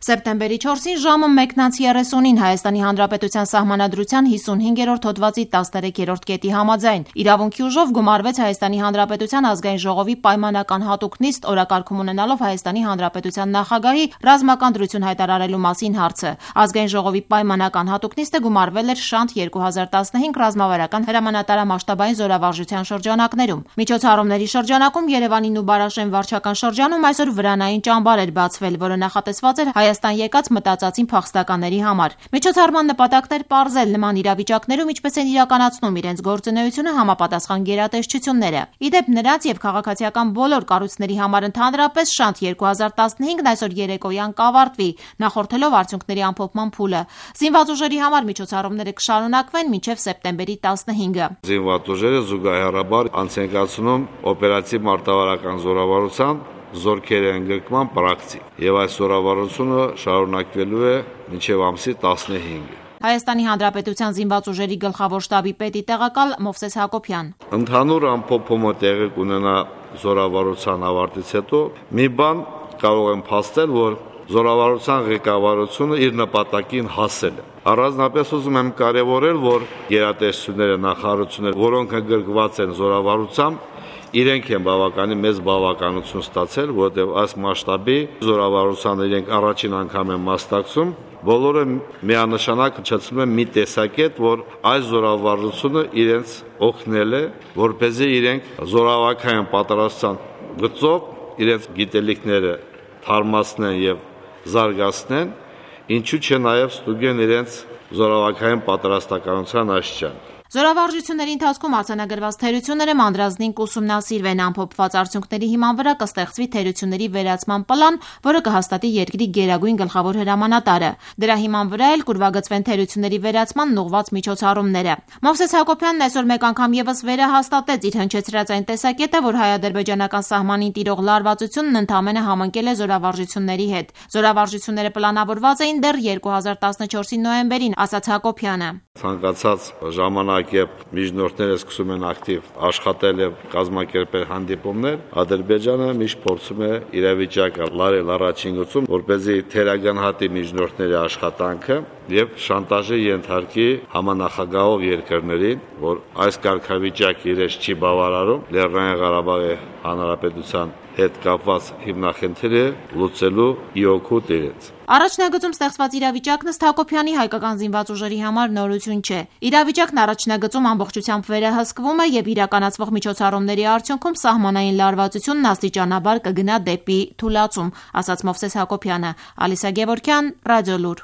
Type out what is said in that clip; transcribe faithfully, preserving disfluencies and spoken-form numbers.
Սեպտեմբերի չորսին ժամը մեկն անց երեսունին Հայաստանի Հանրապետության Սահմանադրության հիսունհինգերորդ հոդվածի տասներեքերորդ կետի համաձայն իրավունքի ուժով գումարվեց Հայաստանի Հանրապետության ազգային ժողովի պայմանական հատուկ նիստ օրակարգում ունենալով Հայաստանի Հանրապետության նախագահի ռազմական դրություն հայտարարելու մասին հարցը։ Ազգային ժողովի պայմանական հատուկ նիստը գումարվել էր շանթ երկու հազար տասնհինգ ռազմավարական հրամանատարամասշտաբային զորավարժության շրջանակներում։ Միջոցառումների շրջանակում Երևանին ու Բարաշեն վարչական շրջանում այսօր վրանային ճամբար էր բացվել, որը նախատեսված էր Հայաստան եկած մտածածին փախստականների համար։ Միջոցառման նպատակն էր պարզել նման իրավիճակներում ինչպես են իրականացնում իրենց գործունեությունը համապատասխան գերատեսչությունները։ Ի դեպ, նրանց եւ քաղաքացիական բոլոր կառույցների համար ընդհանրապես շանթ երկու հազար տասնհինգն այսօր երեկոյան կավարտվի, նախորդելով արդյունքների ամփոփման փուլը։ Զինված ուժերի համար միջոցառումները կշարունակվեն մինչև սեպտեմբերի տասնհինգը։ Զինված ուժերը զուգահեռաբար անց են կացնում օպերատիվ մարտավարական զորավարության զորքերի ընդգրկման պրակտիկ, եւ այս զորավարությունը շարունակվելու է մինչև ամսի տասնհինգը։ Հայաստանի Հանրապետության զինված ուժերի գլխավոր շտաբի պետի տեղակալ Մովսես Հակոբյան. Ընդհանուր ամփոփումը տեղի կունենա զորավարության ավարտից հետո։ Մի բան կարող եմ փաստել, որ զորավարության ղեկավարությունը իր նպատակին հասել է։ Առանձնապես ուզում եմ կարևորել, որ գերատեսչությունները, նախարարությունները, որոնք ընդգրկված են զորավարությամբ, իրենք են բավականին մեծ բավականություն ստացել, որտեղ այս մասշտաբի զորավարությանը իրենք առաջին անգամ են մասնակցում, բոլորը միանշանակ հնչեցնում են մի տեսակետ, որ այս զորավարությունը իրենց օգնել է, որպեսզի իրենք զորավարական պատրաստության գծով իրենց գիտելիքները թարմացնեն եւ զարգացնեն, ինչու՞ չէ նաեւ ստուգեն իրենց զորավարական պատրաստականության աշխարհ։ Զորավարժությունների ընթացքում արձանագրված թերությունները մանրազնին կուսումնասիրվեն, ամփոփված արդյունքների հիման վրա կստեղծվի թերությունների վերացման պլան, որը կհաստատի երկրի գերագույն գլխավոր հրամանատարը։ Դրա հիման վրա էլ կուրվագծվեն թերությունների վերացման ուղղված միջոցառումները։ Մովսես Հակոբյանն այսօր մեկ անգամ եւս վերահաստատեց իր հնչեցրած այն տեսակետը, որ հայ-ադրբեջանական սահմանին տիրող լարվածությունն ընդամենը համընկել է զորավարժությունների հետ։ Զորավարժությունները պլանավորված էին դեռ երկու հազար տասնչորսի նոյեմբերին, ասաց Հակոբյանը։ Ցանկացած ժամանակ երբ միջնորդները սկսում են ակտիվ աշխատել եւ կազմակերպել հանդիպումներ, Ադրբեջանը միշտ փորձում է իրավիճակը լարել առաջին գծում, որպեսզի թերագնահատի միջնորդների աշխատանքը եւ շանտաժի ենթարկի համանախագահող երկրներին, որ այս կարգավիճակը իրենց չի բավարարում Լեռնային Ղարաբաղի Հանրապետության հետ կապված հիմնախնդիրը լուծելու իօգուտ իրենց։ Առաջնագծում ստեղծված իրավիճակն ըստ Հակոբյանի հայկական զինված ուժերի համար նորություն չէ։ Իրավիճակն առաջնագծում ամբողջությամբ վերահսկվում է եւ իրականացվող միջոցառումների արդյունքում սահմանային լարվածությունն աստիճանաբար կգնա դեպի թուլացում, ասաց Մովսես Հակոբյանը։ Ալիսա Գևորգյան, Ռադիոլուր։